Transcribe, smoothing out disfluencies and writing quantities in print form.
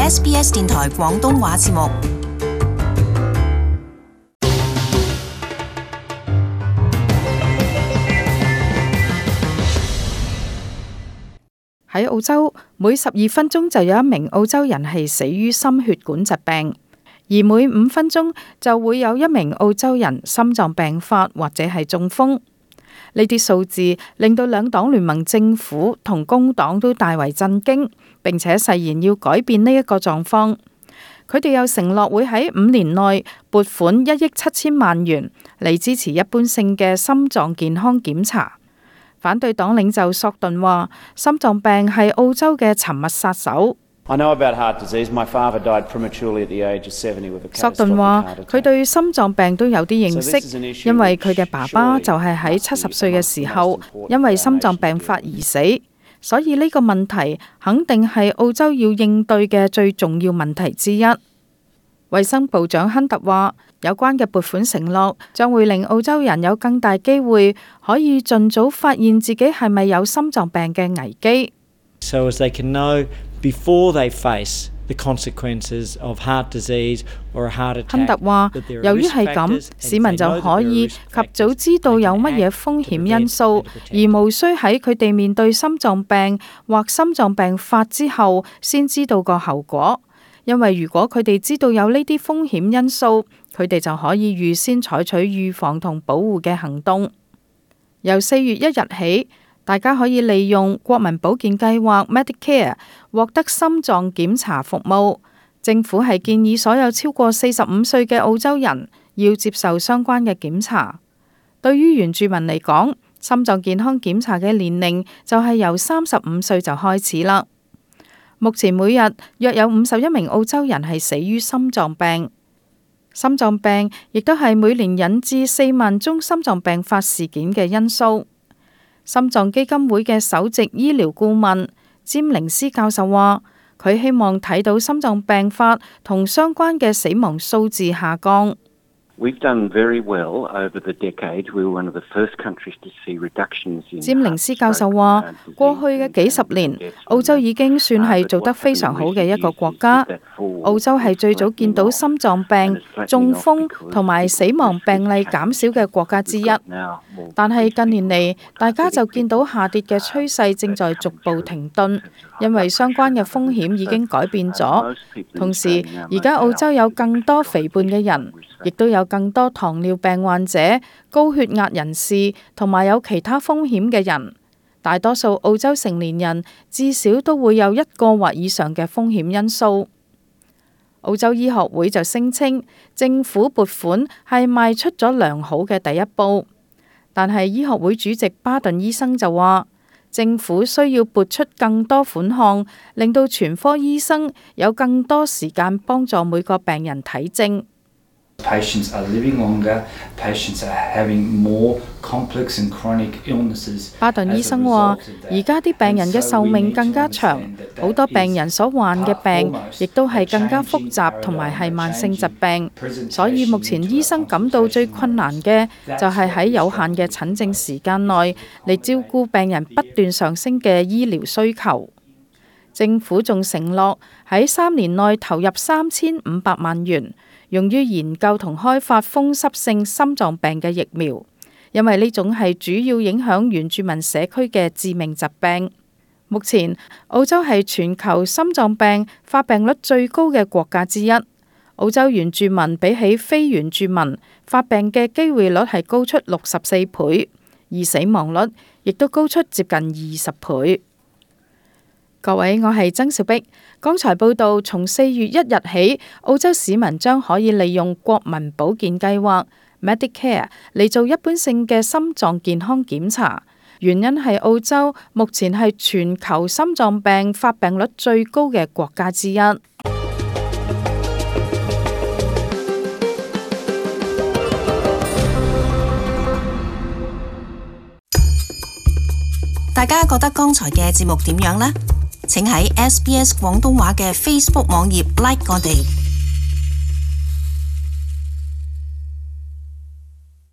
SBS 電台廣東話節目。喺澳洲，每12分鐘就有一名澳洲人係死於心血管疾病，而每5分鐘就會有一名澳洲人心臟病發或者係中風。呢啲數字令到兩黨聯盟政府同工黨都大為震驚，並且誓言要改變呢一個狀況。佢哋又承諾會喺5年內撥款1億7千萬元嚟支持一般性嘅心臟健康檢查。反對黨領袖索頓話：心臟病係澳洲嘅沉默殺手。索頓話：佢對心臟病都有啲認識，因為佢嘅爸爸就係喺70歲嘅時候因為心臟病發而死，所以呢個問題肯定係澳洲要應對嘅最重要問題之一。衛生部長亨特話：有關嘅撥款承諾將會令澳洲人有更大機會可以盡早發現自己係咪有心臟病嘅危機。So as they can know before they face the consequences of heart disease or a heart attack。亨特話：由於係咁，市民就可以及早知道有乜嘢風險因素，而無需喺佢哋面對心臟病或心臟病發之後先知道個後果。因為如果佢哋知道有呢啲風險因素，佢哋就可以預先採取預防同保護嘅行動。由4月1日起，大家可以利用國民保健計劃 Medicare 獲得心臟檢查服務。政府係建議所有超過45歲嘅澳洲人要接受相關嘅檢查。對於原住民嚟講，心臟健康檢查嘅年齡就係由35歲就開始啦。目前每日約有51名澳洲人係死於心臟病。心臟病亦都係每年引致4萬宗心臟病發事件嘅因素。心臟基金會嘅首席醫療顧問詹寧斯教授話：佢希望睇到心臟病發同相關嘅死亡數字下降。詹寧斯教授話：過去嘅幾十年，澳洲已經算係做得非常好嘅一個國家。澳洲係最早見到心臟病、中風同埋死亡病例減少嘅國家之一。但係近年嚟，大家就見到下跌嘅趨勢正在逐步停頓，因為相關嘅風險已經改變咗。同時，而家澳洲有更多肥胖嘅人，亦都有更多糖尿病患者、高血壓人士同埋有其他風險嘅人。大多數澳洲成年人至少都會有1個或以上嘅風險因素。澳洲醫學會就聲稱，政府撥款係邁出咗良好嘅第一步，但係醫學會主席巴頓醫生就話，政府需要撥出更多款項，令到全科醫生有更多時間幫助每個病人睇症。Patients are living longer, patients are having more complex and chronic illnesses. 巴頓醫生話：而家啲病人嘅壽命更加長，好多病人所患嘅病亦都係更加複雜同埋係慢性疾病，所以目前醫生感到最困難嘅就係喺有限嘅診症時間內嚟照顧病人不斷上升嘅醫療需求。政府仲承諾喺3年內投入3500萬元，用於研究同開發風濕性心臟病嘅疫苗，因為呢種係主要影響原住民社區嘅致命疾病。目前，澳洲係全球心臟病發病率最高嘅國家之一。澳洲原住民比起非原住民發病嘅機會率係高出64倍，而死亡率亦都高出接近20倍。各位，我係曾小碧。剛才報道，從4月1日起，澳洲市民將可以利用國民保健計劃 Medicare 嚟做一般性嘅心臟健康檢查。原因係澳洲目前係全球心臟病發病率最高嘅國家之一。大家覺得剛才嘅節目點樣呢？請喺SBS 廣東話嘅 Facebook 網頁 like 我哋。